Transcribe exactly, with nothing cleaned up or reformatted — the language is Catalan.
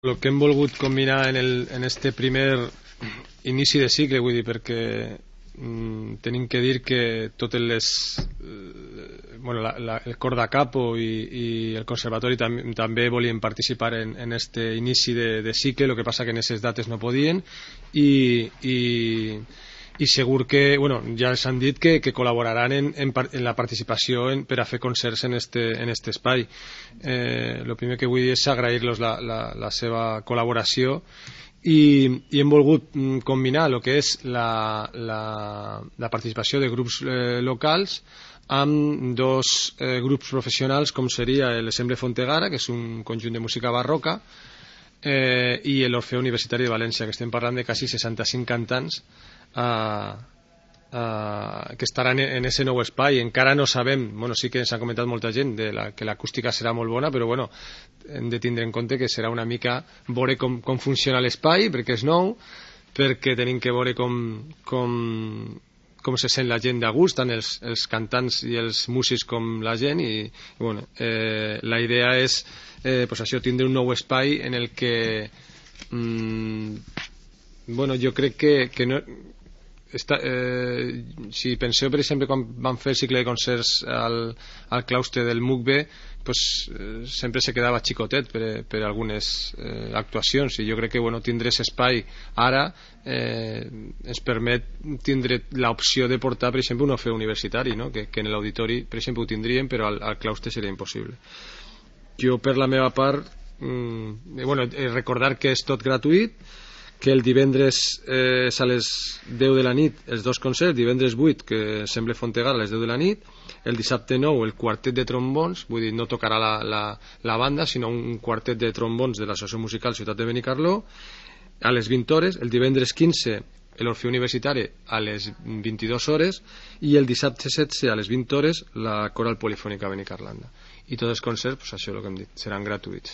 El que hem volgut combinar en, el, en este primer inici de cicle, vull dir, perquè mm, tenim que dir que totes les eh, bueno, la, la, el cor da capo i, i el conservatori tam, també volien participar en, en este inici de, de cicle, el que passa que en aquestes dates no podien i, i i segur que, bueno, ja els han dit que, que col·laboraran en, en, en la participació en, per a fer concerts en este, en este espai. Eh, el primer que vull dir és agrair-los la, la, la seva col·laboració i, i hem volgut combinar el que és la, la, la participació de grups eh, locals amb dos eh, grups professionals com seria l'Ensemble Fontegara, que és un conjunt de música barroca, eh, i l'Orfeo Universitari de València, que estem parlant de quasi seixanta-cinc cantants Uh, uh, que estaran en ese nou espai. Encara no sabem, bueno, sí que s'ha comentat molta gent de la, que l'acústica serà molt bona, però bueno, hem de tindre en compte que serà una mica veure com, com funciona l'espai, perquè és nou, perquè tenim que veure com, com, com se sent la gent de gust, tant els, els cantants i els músics com la gent, i, i bueno, eh, la idea és eh, pues això, tindre un nou espai en el que mm, bueno, jo crec que, que no Està, eh, si penseu per exemple quan vam fer el cicle de concerts al, al claustre del M U C B, pues, eh, sempre se quedava xicotet per, per algunes eh, actuacions, i jo crec que bueno, tindre aquest espai ara eh, ens permet tindre l'opció de portar per exemple un Orfeo Universitari, no? que, que en l'auditori per exemple ho tindríem, però al, al claustre seria impossible. Jo per la meva part mm, bueno, recordar que és tot gratuït, que el divendres eh, és a les deu de la nit els dos concerts, divendres vuit que sembla Fontegara a les deu de la nit, el dissabte nou el quartet de trombons, vull dir no tocarà la, la, la banda sinó un quartet de trombons de l'Associació Musical Ciutat de Benicarló a les vint hores, el divendres quinze l'Orfeo Universitari a les vint-i-dues hores i el dissabte setze a les vint hores la Coral Polifònica Benicarlanda, i tots els concerts, pues, això és el que hem dit, seran gratuïts.